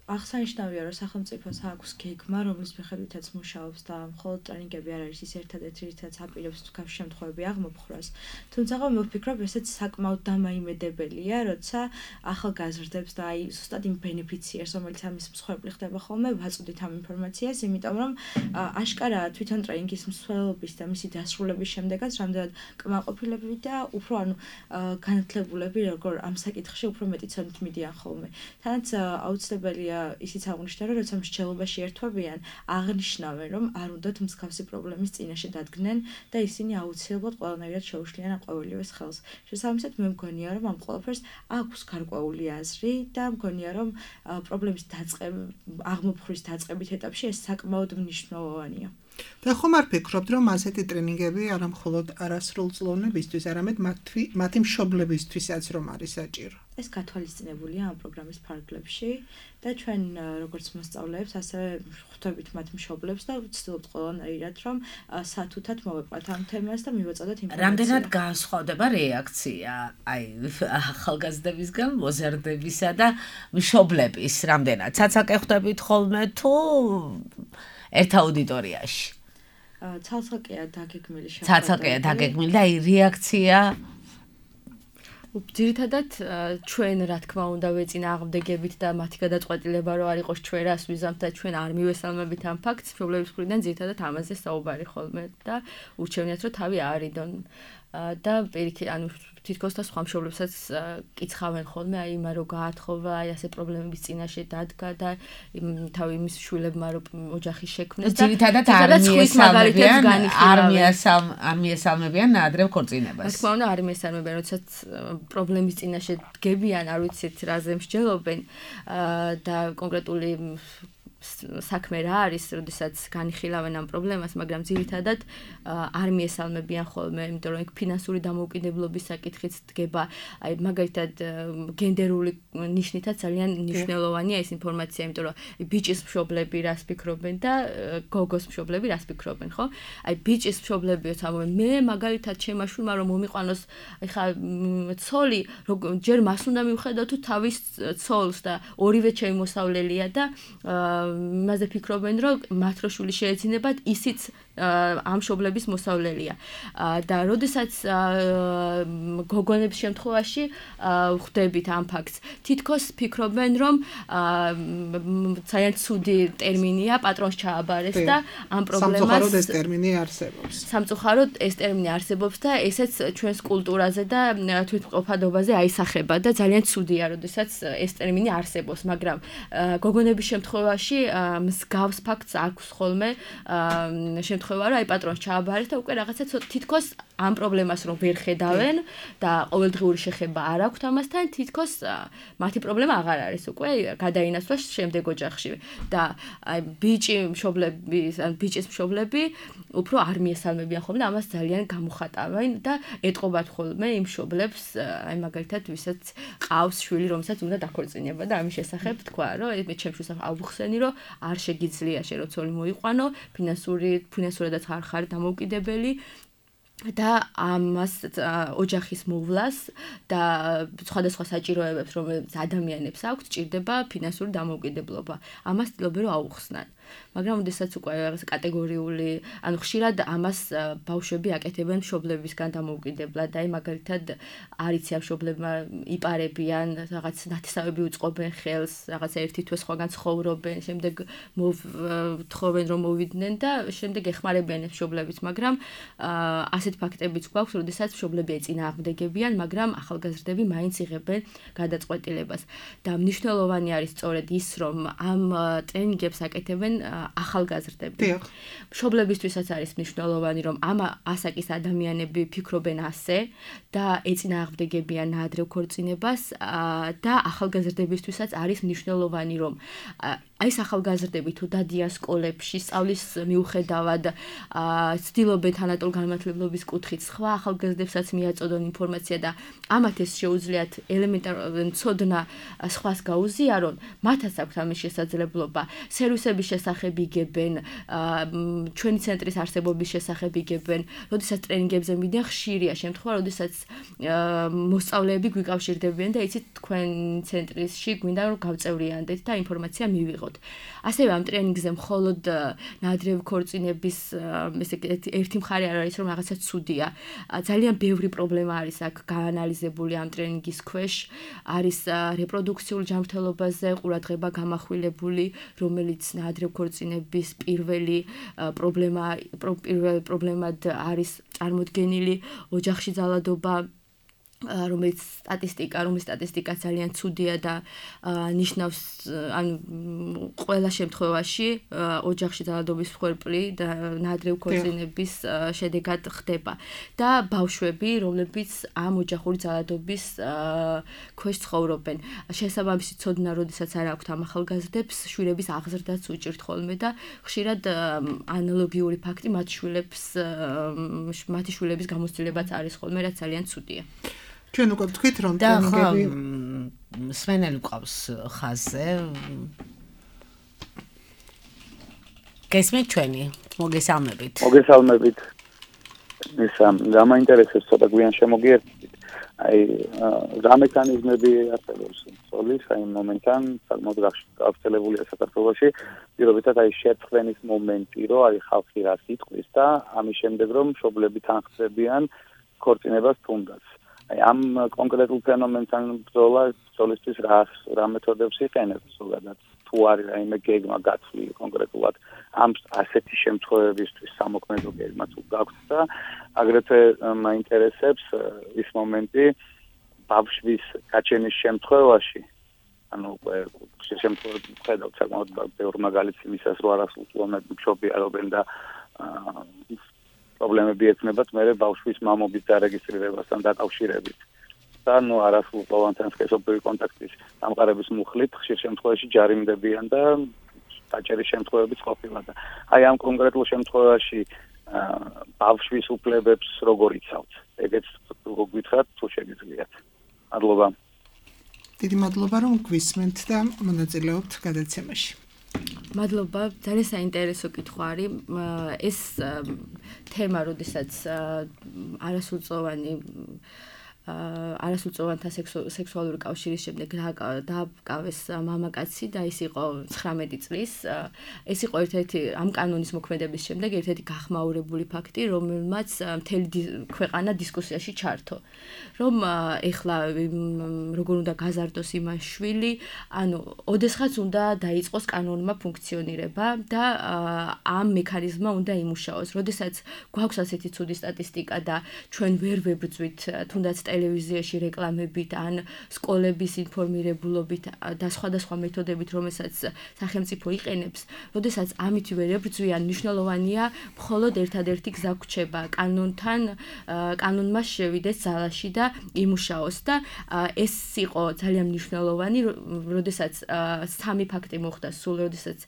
[SPEAKER 6] აღსანიშნავია, რომ სახელმწიფოს აქვს გეგმა, რომლის მიხედვითაც მუშაობს და მხოლოდ ტრენინგები არ არის ის ერთადერთი, რითაც აპირებს თქვენ შემთხვევები აღმოფხვრას. თუმცა მე ვფიქრობ, ესეც საკმაოდ დამაიმედებელია, როცა ახალგაზრდებს და აი ზუსტად იმ ბენეფიციერს, რომელიც ამის მსხვერპლი ხდება ხოლმე, ვაწვდით ამ ინფორმაციას, იმიტომ რომ აშკარაა თვითონ ტრენინგის მსვლელობის და მისი დასრულების შემდეგაც რამდენად კმაყოფილები და უფრო ანუ განათლებულები როგორ ამ საკითხში უფრო მეტი ცოდნით მიდიან ხოლმე. თანაც აუცილებელია ისიც აღნიშნა, რომ როცა მსჯელობაში ერთვებიან, აღნიშნავენ, რომ არ უნდათ მსგავსი პრობლემის წინაშე დადგნენ და ისინი აუცილებლად ყველანაირად შეუშლიან ამ ყოველივეს ხელს. შესაბამისად, მე მგონია, რომ ამ ყველაფერს აქვს გარკვეული აზრი და მგონია, რომ პრობლემის დაწყება, აღმოფხვრის დაწყებით ეტაპში ეს საკმაოდ მნიშვნელოვანია.
[SPEAKER 3] და ხომ არ ფიქრობთ, რომ ასეთი ტრენინგები არა მხოლოდ არასრულწლოვნებისთვის, არამედ მათი მშობლებისთვისაც რომ არის საჭირო?
[SPEAKER 6] ეს გათვალისწინებულია ამ პროგრამის ფარგლებში და ჩვენ როგორც მოსწავლეებს, ასევე ხვდებით მათ მშობლებს და ვცდილობთ ყველანაირად რომ სათუთად მოვეყვათ ამ თემას და მივაწოდოთ ინფორმაცია.
[SPEAKER 2] რამდენად განსხვავდება რეაქცია აი ახალგაზრდებისგან, მოზარდებისა და მშობლების რამდენად? ცაცაკე ხვდებით ხოლმე თუ ერთ აუდიტორიაში?
[SPEAKER 6] ცალსაკეა დაგეგმილი შეხვედრა.
[SPEAKER 2] ცალსაკეა დაგეგმილი და აი რეაქცია
[SPEAKER 4] ძირითადად ჩვენ რა თქმა უნდა ვეწინააღმდეგებით და მათი გადაწყვეტილება რო არ იყოს ჩვენ რას ვიზამთ და ჩვენ არ მივესალმებით ამ ფაქტს, მშობლების მხრიდან ძირითადად ამაზე საუბარი ხოლმე და ურჩევნიათ რომ თავი აარიდონ და პირიქით ანუ თითქოს და სხვა მშობლებსაც კიცხავენ ხოლმე აი იმა რო გაათხოვა, აი ასე პრობლემების წინაშე დადგა და თავი იმის შვილებმა რო ოჯახის შექმნეს და
[SPEAKER 2] ძირითადად არ მიესალმებიან არ მიესალმებიან ნაადრევ ქორწინებას.
[SPEAKER 4] რა თქმა უნდა არ მიესალმებიან, როდესაც პრობლემის წინაშე დგებიან, არ ვიცით რაზე მსჯელობენ და კონკრეტული საქმე რა არის, როდესაც განიხილავენ ამ პრობლემას, მაგრამ ძირითადად არ მიესალმებიან ხოლმე, იმიტომ რომ ფინანსური დამოუკიდებლობის საკითხიც დგება, აი მაგალითად გენდერული ნიშნითაც ძალიან მნიშვნელოვანია ეს ინფორმაცია, იმიტომ რომ ბიჭის მშობლები რას ფიქრობენ და გოგოს მშობლები რას ფიქრობენ, ხო? აი ბიჭის მშობლებიოთ ამბობენ, მე მაგალითად ჩემმა შვილმა რომ მომიყვანოს, ეხა ცოლი, ჯერ მას უნდა მივხედო თუ თავის ცოლს და ორივე ჩემი მოსავლელია და იმაზე ფიქრობენ, რომ მათ რო შვილი შეეძინებათ, ისიც ამ მშობლების მოსავლელია. და როდესაც გოგონების შემთხვევაში ხვდებით ამ ფაქტს, თითქოს ფიქრობენ, რომ ძალიან ცუდი ტერმინია პატრონს ჩააბარეს და ამ პრობლემას
[SPEAKER 3] სამწუხაროდ ეს ტერმინი არსებობს.
[SPEAKER 4] სამწუხაროდ ეს ტერმინი არსებობს და ესეც ჩვენს კულტურაზე და თვითმყოფადობაზე აისახება და ძალიან ცუდია, როდესაც ეს ტერმინი არსებობს, მაგრამ გოგონების შემთხვევაში შემთხვევაში მსგავს ფაქტს აქვს ხოლმე შემთხვევა, რომ აი პატრონს ჩააბარეს და უკვე რაღაცა თითქოს ამ პრობლემას რომ ვერ ხედავენ და ყოველდღიური შეხება არ აქვთ ამასთან, თითქოს მათი პრობლემა აღარ არის უკვე გადაინაცვლა შემდეგ ოჯახში და აი ბიჭი მშობლები ან ბიჭის მშობლები უფრო არ მიესალმებიან ხოლმე და ამას ძალიან გამოხატავენ და ეტყობათ ხოლმე იმ მშობლებს აი მაგალითად ვისაც ყავს შვილი რომელსაც უნდა დაქორწინება და ამის შესახებ თქვა რომ მე ჩემს შესახებ ავუხსენი რომ არ შეგიძლია შე რო ცოლი მოიყვანო ფინანსური ფინანსურადაც არ ხარ დამოუკიდებელი და ამას ოჯახის მოვლას და სხვადასხვა საჭიროებებს რომელიც ადამიანებს აქვთ ჭირდება ფინანსური დამოუკიდებლობა ამას ცდილობენ რომ აუხსნან მაგრამ ოდესაც უკვე რაღაც კატეგორიული ანუ ხშირად ამას ბავშვები აკეთებენ მშობლებისგან დამოუკიდებლად და აი მაგალითად არიცი ამ მშობლებმა იპარებიან რაღაც ნათესავები უწყობენ ხელს რაღაც ერთი თვე სხვაგან ცხოვრობენ შემდეგ მოთხოვენ რომ მოვიდნენ და შემდეგ ეხმარებიან მშობლებს მაგრამ ასეთ ფაქტებიც გვაქვს როდესაც მშობლები ეწინააღმდეგებიან მაგრამ ახალგაზრდები მაინც იღებენ გადაწყვეტილებას და მნიშვნელოვანი არის სწორედ ის რომ ამ ტრენინგებს აკეთებენ ახალგაზრდები. მშობლებისთვისაც არის მნიშვნელოვანი რომ ამ ასაკის ადამიანები ფიქრობენ ასე და ეწინააღმდეგებიან ნაადრევ ქორწინებას და ახალგაზრდებისთვისაც არის მნიშვნელოვანი რომ აი ეს ახალგაზრდები თუ დადიან სკოლებში სწავლის მიუხედავად ცდილობენ თანატოლ განმანათლებლობის კუთხით სხვა ახალგაზრდებსაც მიაწოდონ ინფორმაცია და ამათ ეს შეუძლიათ ელემენტარული ცოდნა სხვას გაუზიარონ მათაც აქვს ამის შესაძლებლობა სერვისების შესახებ იგებენ ჩვენი ცენტრის არსებობის შესახებ იგებენ როდესაც ტრენინგებზე მიდიან ხშირია შემთხვევა როდესაც მოსწავლეები გვიკავშირდებიან და იცით თქვენ ცენტრში გვინდა რომ გავწევრიანდეთ და ინფორმაცია მივიღოთ ასევე ამ ტრენინგზე მხოლოდ ნაადრევი ქორწინების ესე ერთი მხარე არ არის რომ რაღაცა ცუდია ძალიან ბევრი პრობლემა არის აქ გაანალიზებული ამ ტრენინგის ქვეშ არის რეპროდუქციულ ჯანმრთელობაზე ყურადღება გამახვილებული რომელიც ნაადრევი ქორწინების პირველი პრობლემა პირველი პრობლემად არის წარმოდგენილი ოჯახში ძალადობა რომელიც სტატისტიკა, რომელიც სტატისტიკა ძალიან ცუდია და ნიშნავს ან ყველა შემთხვევაში ოჯახში ძალადობის მსხვერპლი და ნაადრევი ქორწინების შედეგად ხდება და ბავშვები, რომლებიც ამ ოჯახური ძალადობის ქვეშ ცხოვრობენ. შესაბამისი ცოდნა, როდესაც არ აქვთ ამ ახალგაზრდებს, შვილების აღზრდაც უჭირთ ხოლმე და ხშირად ანალოგიური ფაქტი მათ შვილებს მათი შვილების გამოცდილებაც არის ხოლმე, რაც ძალიან ცუდია.
[SPEAKER 3] ჩვენ უკვე ვთქვით რომ ტრენინგები
[SPEAKER 2] სვენელი ყავს ხაზზე გესმით ჩვენი მოგესალმებით
[SPEAKER 7] მოგესალმებით ისა გამაინტერესებს ცოტა გვიან შემოგიერთდით აი რა მექანიზმები არსებობს სოლის აი მომენტთან საკმაოდ გავრცელებულია საქართველოში პირობითად აი შეწყდენის მომენტი რომ აი ხალხი რას იტყვის და ამის შემდეგ რომ მშობლები თანხმდებიან ქორწინებას თუნდაც აი ამ კონკრეტულ ფენომენთან ბრძოლა სოლისთვის რა რა მეთოდებს იყენებს ზოგადად თუ არის რაიმე გეგმა გაცვლილი კონკრეტულად ამ ასეთი შემთხვევებისთვის სამოქმედო გეგმა თუ გაქვთ და აგრეთვე მაინტერესებს ის მომენტი ბავშვის გაჩენის შემთხვევაში ანუ შემთხვევაში ხედავთ საკმაოდ ბევრი მაგალითი იმისას რომ არასრულწლოვანები მშობიარობენ და პრობლემები ექნებათ მე ბავშვის მამობის დარეგისტრირებასთან დაკავშირებით და ნუ არასრულწლოვანთან სქესობრივი კონტაქტის დამყარების მუხლით ხშირ შემთხვევაში ჯარიმდებიან და დაჭერის შემთხვევებიც ყოფილა და აი ამ კონკრეტულ შემთხვევაში ბავშვის უფლებებს როგორ იცავთ ეგეც გითხრათ თუ შეგიძლიათ მადლობა
[SPEAKER 3] დიდი მადლობა რომ გვისმენთ და მონაწილეობთ გადაცემაში
[SPEAKER 4] მადლობა, ძალიან საინტერესო კითხვა არის. ეს თემა, როდესაც არასრულწლოვანი არასრულწლოვანთა სექსუალური კავშირის შემდეგ დააკავეს მამაკაცი და ის იყო ცხრამეტი წლის. ეს იყო ერთ-ერთი ამ კანონის მოქმედების შემდეგ ერთ-ერთი გახმაურებული ფაქტი, რომელმაც მთელი ქვეყანა დისკუსიაში ჩართო. რომ ეხლა როგორ უნდა გაზარდოს იმას შვილი, ანუ ოდესღაც უნდა დაიწყოს კანონმა ფუნქციონირება და ამ მექანიზმმა უნდა იმუშაოს. როდესაც გვაქვს ასეთი ცუდი სტატისტიკა და ჩვენ ვერ ვებრძვით თუნდაც ტელევიზიაში რეკლამებით, ან სკოლების ინფორმირებულობით და სხვადასხვა მეთოდებით, რომელსაც სახელმწიფო იყენებს, როდესაც ამით ვერ ებრძვიან, მნიშვნელოვანია მხოლოდ ერთადერთი გზა გვჩება კანონთან, კანონმა შევიდეს ძალაში და იმუშაოს და ეს იყო ძალიან მნიშვნელოვანი, როდესაც სამი ფაქტი მოხდა სულ, როდესაც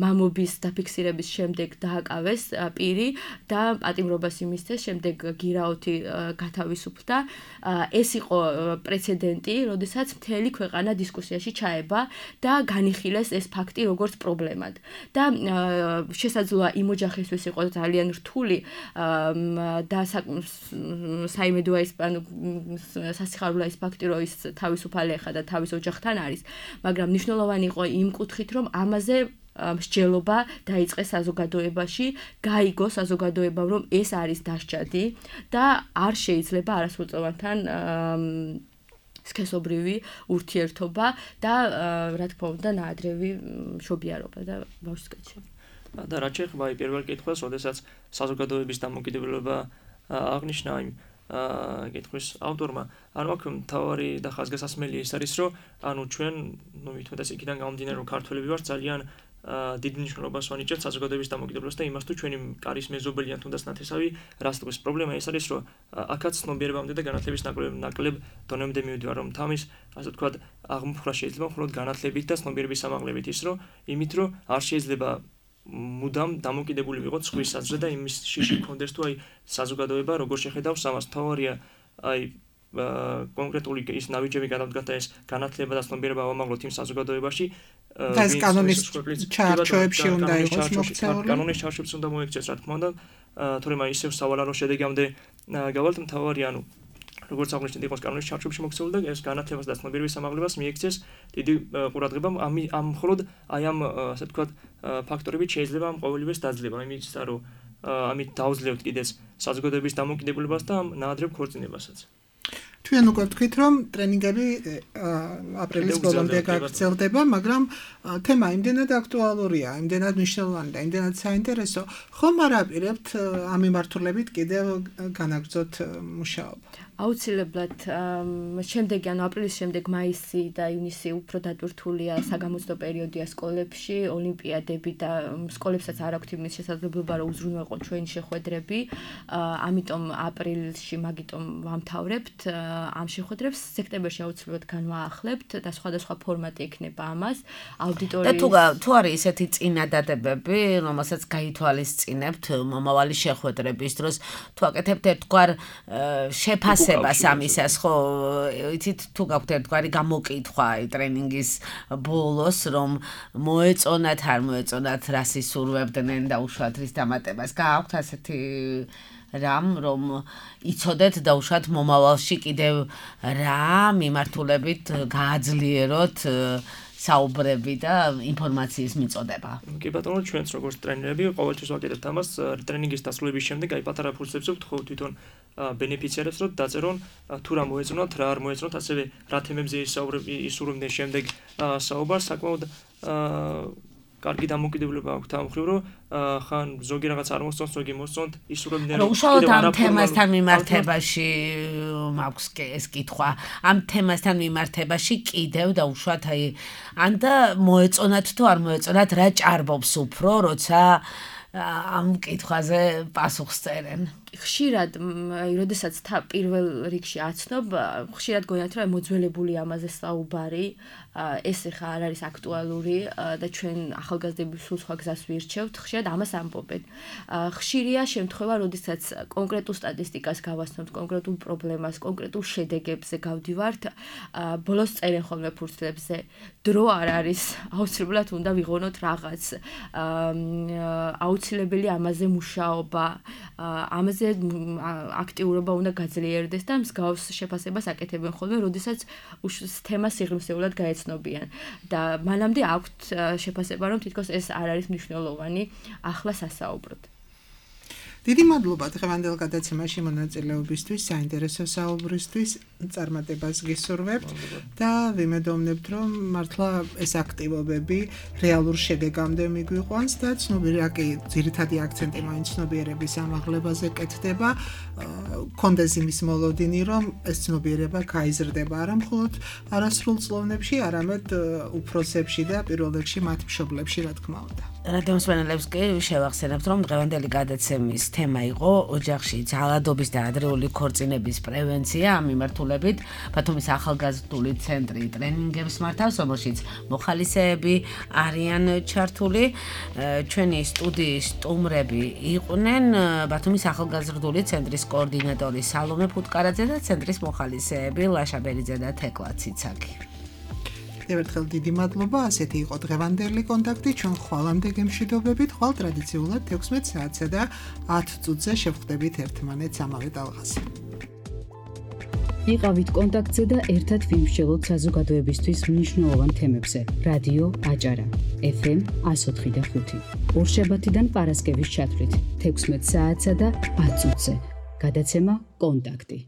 [SPEAKER 4] მამობის დაფიქსირების შემდეგ დააკავეს პირი და პატიმრობას იმისცეს, შემდეგ გირაოთი გათავისუფლდა. ეს იყო პრეცედენტი, როდესაც მთელი ქვეყანა დისკუსიაში ჩაება და განიხილეს ეს ფაქტი როგორც პრობლემად. და შესაძლოა იმ ოჯახისთვის იყო ძალიან რთული და საიმედოა ის სასიხარულო ის ფაქტი, რომ ის თავისუფალი ხა და თავის ოჯახთან არის, მაგრამ მნიშვნელოვანი იყო იმ კუთხით, რომ ამაზე მსჯელობა დაიწყეს საზოგადოებაში, გაიგო საზოგადოებამ, რომ ეს არის დასჯადი და არ შეიძლება არასრულწლოვანთან სქესობრივი ურთიერთობა და რა თქმა უნდა ნაადრევი მშობიარობა და ბავშვის გაჩენა.
[SPEAKER 5] და რაც შეეხება პირველ კითხვას, როდესაც საზოგადოების დამოკიდებულება აღნიშნა იმ კითხვის ავტორმა, ანუ აქ მთავარი და ხაზგასასმელი ის არის, რომ ანუ ჩვენ, ნუ მithmetas იქიდან გამომდინარე, რომ ქართველები ვართ, ძალიან დიდ მნიშვნელობას ვანიჭებთ საზოგადოების დამოკიდებულებას და იმას თუ ჩვენი კარის მეზობელი ან თუნდაც ნათესავი რას ტყვის. პრობლემა ის არის, რომ აქაც ცნობიერებამდე და განათლების ნაკლებ დონემდე მივიდივარ, რომ თამის, ასე ვთქვათ, აღმოფხვრა შეიძლება მხოლოდ განათლებით და ცნობიერების სამაღლებით ის, რომ იმით, რომ არ შეიძლება მუდამ დამოკიდებული ვიყოთ სხვის საზრზე და იმის შიში გქონდეს თუ აი საზოგადოება როგორ შეხედავს ამას. მთავარია აი კონკრეტული ის ნაბიჯები გადავდგათ და ეს განათლება და ცნობიერება ავამაღლოთ იმ საზოგადოებაში
[SPEAKER 3] და ეს კანონის ჩარჩოებში უნდა იყოს მოქცეული.
[SPEAKER 5] კანონის ჩარჩოებში უნდა მოექცეს, რა თქმა უნდა, თორემ აი ისევ სავალარო შედეგამდე გავალთ. მთავარია ანუ როგორც აღნიშნეთ, იყოს კანონის ჩარჩოებში მოქცეული და ეს განათლებას და ცნობიერების სამაღლებას მიექცეს დიდი ყურადღება. ამ ამ მხოლოდ აი ამ ასე ვთქვათ ფაქტორებით შეიძლება ამ ყოველივეს დაძლევა. იმის რომ ამით დავძლევთ კიდეც საზოგადოების დამოკიდებულებას და ამ ნაადრევ ქორწინებასაც.
[SPEAKER 3] თქვენ უკვე ვთქვით, რომ ტრენინგები აპრილის ბოლომდე გაგრძელდება, მაგრამ თემა იმდენად აქტუალურია, იმდენად მნიშვნელოვანი და იმდენად საინტერესო, ხომ არ აპირებთ ამ მიმართულებით კიდევ განაგრძოთ მუშაობა?
[SPEAKER 4] აუცილებლად შემდეგი, ანუ აპრილის შემდეგ მაისი და ივნისი უფრო დატვირთულია საგამოცდო პერიოდია სკოლებში, ოლიმპიადები და სკოლებსაც არ აქვთ იმის შესაძლებლობა, რომ უზრუნველყონ ჩვენი შეხვედრები, ამიტომ აპრილში მაგიტომ ვამთავრებთ ამ შეხვედრებს, სექტემბერში აუცილებლად განვაახლებთ და სხვადასხვა ფორმატი ექნება ამას, აუდიტორიის
[SPEAKER 2] და თუ თუ არის ესეთი წინადადებები, რომელსაც გაითვალისწინებთ მომავალი შეხვედრების დროს, თუ აკეთებთ ერთგვარ შეფასებას ამისას, ხო, იცით თუ გაქვთ ერთგვარი გამოკითხვა ტრენინგის ბოლოს, რომ მოეწონათ, არ მოეწონათ, რას ისურვებდნენ და უშუალოდ რის დამატებას, გააქვთ ასეთი რამ, რომ იცოდეთ და უშუალოდ მომავალში კიდევ რა მიმართულებით გააძლიეროთ საუბრები და ინფორმაციის მიწოდება.
[SPEAKER 5] კი ბატონო, ჩვენც როგორც ტრენერები ყოველთვის ვაკეთებთ ამას, ტრენინგის დასრულების შემდეგ აი პატარა ფურცლებს ვთქვით ხო თვითონ ბენეფიციარებს, რომ დაწერონ თუ რა მოეწონათ, რა არ მოეწონათ, ასევე რა თემებზე ისურვებდნენ შემდეგ საუბარს, საკმაოდ კარგი დამოკიდებულება აქვს ამ მხრივ, რომ ხან ზოგი რაღაც არ მოსწონს, ზოგი მოსწონთ, ისურვებდნენ
[SPEAKER 2] რომ უშუალოდ ამ თემასთან მიმართებაში მაქვს ეს კითხვა. ამ თემასთან მიმართებაში კიდევ და უშუალოდ აი ან და მოეწონათ თუ არ მოეწონათ, რა ჭარბობს უფრო, როცა ამ კითხვაზე პასუხს წერენ.
[SPEAKER 4] ხშირად, აი, როდესაც პირველ რიგში აცნობ, ხშირად გონიათ, რომ მოძველებული ამაზე საუბარი, ეს ხა არ არის აქტუალური და ჩვენ ახალგაზრდები სულ სხვა გზას ვირჩევთ, ხშირად ამას ამბობენ. ხშირია შემთხვევა, როდესაც კონკრეტულ სტატისტიკას გავაცნობთ, კონკრეტულ პრობლემას, კონკრეტულ შედეგებზე გავდივართ, ბოლოს წერენ ხოლმე ფურცლებზე, დრო არ არის, აუცილებლად უნდა ვიღონოთ რაღაც, აუცილებელი ამაზე მუშაობა, ამაზე აქტიურობა უნდა გაძლიერდეს და მსგავს შეფასებას აკეთებენ ხოლმე, როდესაც თემა სიღრმისეულად გაეცნობიან და მანამდე აქვთ შეფასება, რომ თითქოს ეს არ არის მნიშვნელოვანი, ახლა სასაუბროდ.
[SPEAKER 3] დიდი მადლობა დღევანდელ გადაცემაში მონაწილეობისთვის, საინტერესო საუბრისთვის, წარმატებას გისურვებთ და ვიმედოვნებთ, რომ მართლა ეს აქტივობები რეალურ შედეგამდე მიგვიყვანს და ცნობიერაკი ძირითადი აქცენტი მაინც ცნობიერების ამაღლებაზე კეთდება, კონდეს იმის მოლოდინი, რომ ეს ცნობიერება გაიზრდება არა მხოლოდ არასრულწლოვნებში, არამედ უფროსებში და პირველ რიგში მათ მშობლებში, რა თქმა უნდა.
[SPEAKER 2] რადიო მსმენელებს კი შევახსენებთ, რომ დღევანდელი გადაცემის თემა იყო ოჯახში ძალადობის და ადრეული ქორწინების პრევენცია. ამ მიმართულებით ბათუმის ახალგაზრდული ცენტრი ტრენინგებს მართავს, რომელშიც მოხალისეები არიან ჩართული. ჩვენი სტუდიის სტუმრები იყვნენ ბათუმის ახალგაზრდული ცენტრის კოორდინატორი სალომე ფუტკარაძე და ცენტრის მოხალისეები ლაშა ბერიძე და თეკლა ციცაკი.
[SPEAKER 3] ერთხელ დიდი მადლობა, ასეთი იყო დღევანდელი კონტაქტი, ჩვენ ხვალამდე გემშვიდობებით, ხვალ ტრადიციულად თექვსმეტ საათსა და ათ წუთზე შევხვდებით ერთმანეთს ამავე ტალღაზე.
[SPEAKER 1] იყავით კონტაქტზე და ერთად ვიმსჯელოთ საზოგადოებისთვის მნიშვნელოვან თემებზე. რადიო აჭარა, ეფ ემ εκατო ოთხი და ხუთი. ორშაბათიდან პარასკევის ჩათვლით, თექვსმეტ საათსა და ათ წუთზე. გადაცემა კონტაქტი.